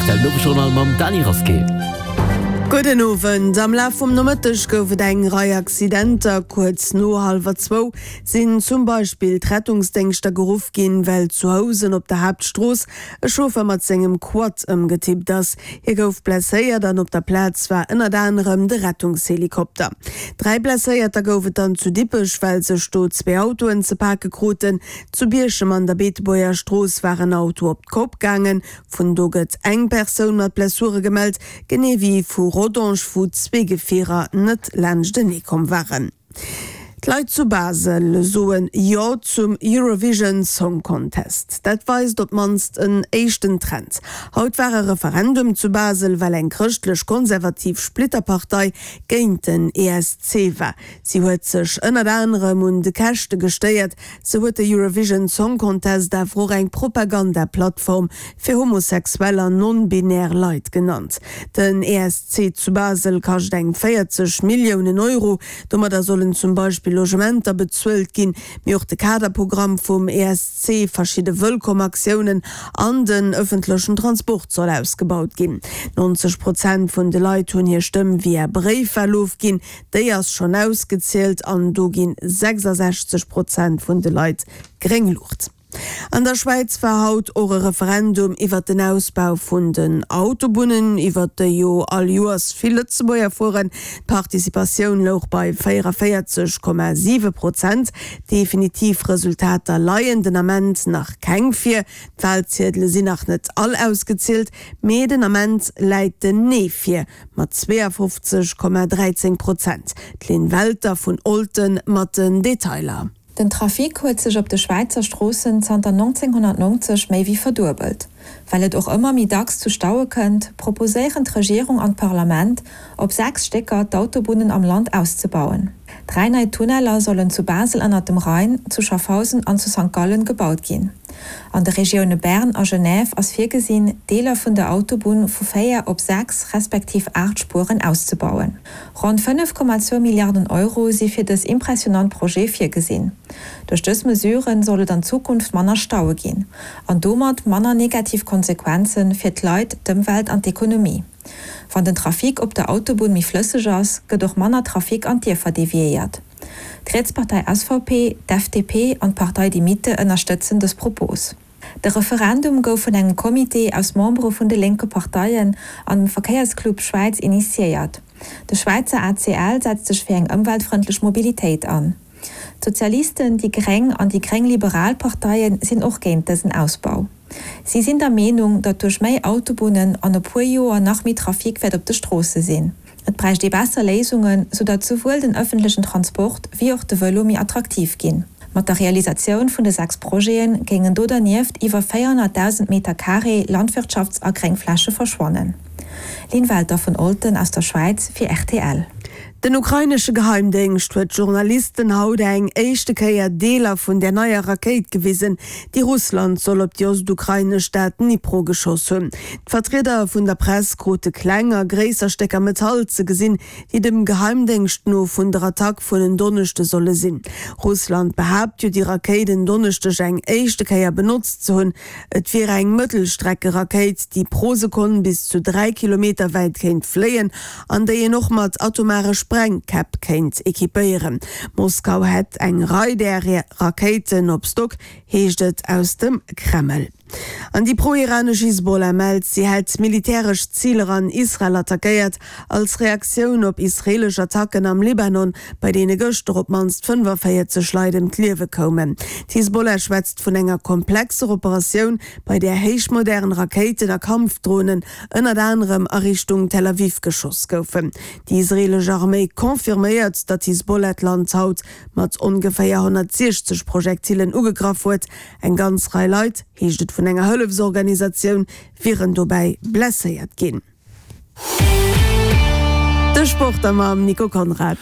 Rtl Nowesjournal mam Dany Rasqué. Gudden Owend. Am Laf vum Nomëtteg gouf et eng Rei Accidenter. Kuerz no hallwer zwou sinn zum Beispill d'Rettungsdéngschter geruff ginn, well zu Housen op der Haaptstrooss e Chauffer mat sengem Quad ëmgetippt ass. Hie gouf blesséiert an op der Plaz war ënnert anerem de Rettungshelikopter. 3 Blesséierter gouf et dann zu Dippech, well sech do zwee Autoen ze pake kruten. Zu Bierchem an der Beetebuerger Strooss war en Auto op d'Kopp gaangen. Vun do gëtt eng Persoun mat Blessure gemellt, genee wéi vu Rodange, wou zwee Gefierer net laanschtenee komm waren. D'Leit zu Basel soen Jo zum Eurovision Song Contest. Dat weist op d'mannst en éischten Trend. Haut war e Referendum zu Basel, well eng chrëschtlech-konservativ Splitterpartei géint den ESC war. Si huet sech ënnert anerem un de Käschte gestéiert. Sou huet de Eurovision Song Contest awer och eng Propaganda-Plattform fir homosexuell an non-binär Leit genannt. Den ESC zu Basel kascht eng 40 Milliounen Euro. Domadder sollen zum Beispill Logementer bezuelt ginn, mee och de Kaderprogramm vum ESC, verschidde Wëllkomm-Aktiounen an den ëffentlechen Transport soll ausgebaut ginn. 90 Prozent vun de Leit hunn hir Stëmm via Bréifwal ofginn. Déi ass schonn ausgezielt an do ginn 66 Prozent vun de Leit gréng Luucht. An der Schwäiz war haut och e Referendum iwwert den Ausbau vun den Autobunnen, iwwert déi jo all Joers vill Lëtzebuerger fueren. D'Participatioun louch bei 44,7 Prozent. Definitiv Resultater leien den Ament nach keng vir. D'Walziedele sinn nach net all ausgezielt, mee den Ament läit den Nee vir mat 52,13 Prozent. D'Lynn Welter vun Olten mat den Detailer. Den Trafic huet sech op de Schwäizer Stroossen zanter 1990 méi wéi verduebelt. Well et och ëmmer méi dacks zu Staue kënnt, proposéieren d'Regierung an d'Parlament, op 6 Stécker d'Autobunnen am Land auszebauen. Dräi nei Tunneller sollen zu Basel ënnert dem Rhein, zu Schaffhausen an zu Sankt Gallen gebaut ginn. An de Regioune Bern a Genève ass virgesinn, Deeler vun der Autobunn vu 4 op 6 respektiv 8 Spueren auszebauen. Ronn 5,2 Milliarden Euro si fir dës impressionant Projet virgesinn. Duerch dës Mesure soll et an Zukunft manner Staue ginn an domat manner negativ Konsequenze fir d'Leit, d'Ëmwelt an d'Ekonomie. Wann den Trafic op der Autobunn méi flësseg ass, gëtt och manner Trafic an d'Dierfer deviéiert. D'Rietspartei SVP, d'FDP an d'Partei Die Mitte ënnerstëtzen dës Propos. De Referendum gouf vun engem Comité aus Membere vun de lénke Parteien an dem Verkéiersclub Schwäiz initiéiert. De Schwäizer ACL setzt sech fir eng ëmweltfrëndlech Mobilitéit an. D'Sozialisten, déi Gréng an déi gréng-liberal Parteie sinn och géint dësen Ausbau. Si sinn der Meenung, datt duerch méi Autobunnen an e puer Joer nach méi Trafic wäert op de Stroosse sinn. Et bräicht ee besser Léisungen, soudatt souwuel den ëffentlechen Transport wéi och de Vëlo méi attraktiv ginn. Mat der Realisatioun vun de 6 Projete géingen do dernieft iwwer 400.000 Meter Carré Landwirtschafts a Gréngfläche verschwannen. Lynn Welter vun Olten aus der Schwäiz fir rtl. Den ukrainesche Geheimdéngscht huet Journalisten haut eng éischte Kéier Deeler vun där neier Rakéit gewisen, déi Russland soll op déi ostukrainesch Stad Dnipro geschoss hunn. D'Vertrieder vun der Press krute kleng a gréisser Stécker Metall ze gesinn, déi dem Geheimdéngscht no vun der Attack vun en Donneschde solle sinn. Russland behaapt jo, déi Rakéit en Donneschdeg eng éischte Kéier benotzt ze hunn. Et wier eng Mëttelstreckerakéit, déi pro Sekonn bis zu 3 Kilometer wäit kéint fléien an déi een och mat atomare Sprengkäpp kéint equipéieren. Moskau hätt eng Rei där Rakéiten op Stock, heescht et aus dem Kreml. An déi pro-iranesch Hisbollah mellt, si hätt militäresch Ziler an Israel attackéiert, Als Reaktioun op israeelesch Attacken am Libanon, bei deene gëschter op d'mannst 45 Leit ëm d'Liewe koumen. D'Hisbollah schwätzt vun enger komplexer Operatioun, bei där héichmodern Rakéiten a Kampfdronen ënnert anerem a Richtung Tel Aviv geschoss goufen. Déi israeelesch Arméi confirméiert, datt d'Hisbollah d'Land haut mat ongeféier 160 Projektillen ugegraff huet. Eng ganz Rei Leit, heescht et vun enger Hëllefsorganisatioun, wieren dobäi blesséiert ginn. De Sport da mam Nico Conrad.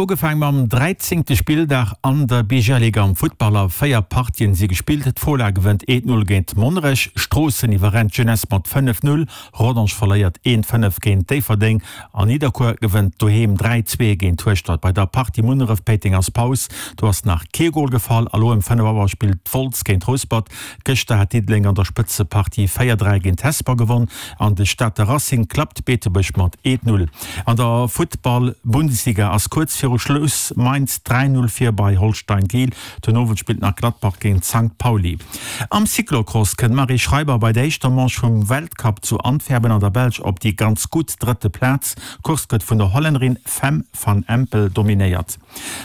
Ugefaang mam dräizéngte Spilldag an der BGL-Liga am Futtball. A 4 Partien si gespillt. D'Fola gewënnt 1, 0 géint Monnerech, Stroossen iwwerrennt d'Jeunesse mat 5, 0, Rodange verléiert 1, 5 géint Déifferdeng an Nidderkuer gewënnt doheem 3, 2 géint Hueschtert. Bei der Partie Munneref-Péiteng ass Paus, do ass nach kee Gol gefall. A lo ëm 5 Auer spillt Wolz géint Rouspert. Gëschter hat Diddeleng an der Spëtzepartie 4, 3 géint Hesper gewonn an de Stater Racing klappt Beetebuerg mat 1, 0. An der Futtball-Bundesliga ass kuerz viru Schluss Mainz 3, 0 vir bei Holstein Kiel. Den Owend spillt nach Gladbach géint Sankt Pauli. Am Cyclocross kënnt d'Marie Schreiber bei der éischter Manche vum Weltcup zu Antwerpen an der Belsch op déi ganz gutt drëtte Plaz. D'Course gëtt vun der Hollännerin Fem van Empel dominéiert.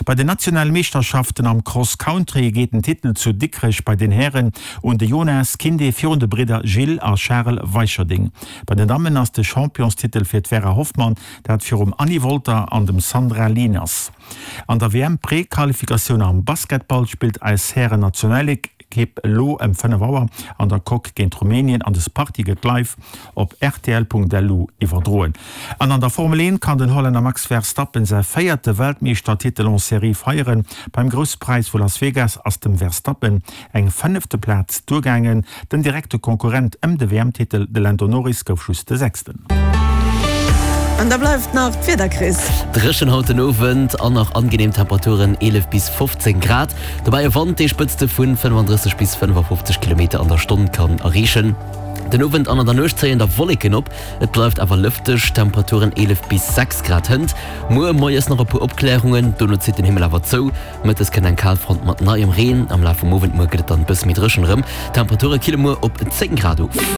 Bei den nationale Meeschterschaften am Cross Country geet den Titel zu Dikrech bei den Hären un de Jonas Kinde virun de Bridder Gilles a Charel Weicherding. Bei den Dammen ass de Championstitel fir d'Vera Hoffmann, dat virum Anny Wolter an dem Sandra Lieners. An der WM-Prequalifikatioun am Basketball spillt eis Hären-Nationalekipp elo ëm 5 Auer an der Coque géint Rumänien an des Partie gëtt live op rtl.lu iwwerdroen. An an der Formel 1 kann den Hollänner Max Verstappen säi véierte Weltmeeschtertitel en Serie feieren. Beim Grousse Präis vu Las Vegas ass dem Verstappen eng fënnefte Plaz duergaangen. Den direkte Konkurrent ëm de WM-Titel, de Lando Norris, gouf just de Sechsten. An da bleift nach d'Wieder, Chris. Dréchen haut den Owend an nach angenehm Temperaturen, 11 bis 15 Grad. Dobäi e Wand, dee Spëtzte vu 35 bis 55 Kilometer an der Stonn kann erreechen. Den Owend an an der Nuecht zéien da Wolleken op, et bleift awer lëfteg, Temperaturen 11 bis 6 Grad. Hënt muer moies nach e puer Opklärungen, dono zitt den Himmel awer zou. Mëttes kënnt eng Kalfront mat neiem Reen, am Laf vum Owend muer gëtt et dann e bësse méi dréchen erëm. D'Temperature kille muer op 10 Grad of.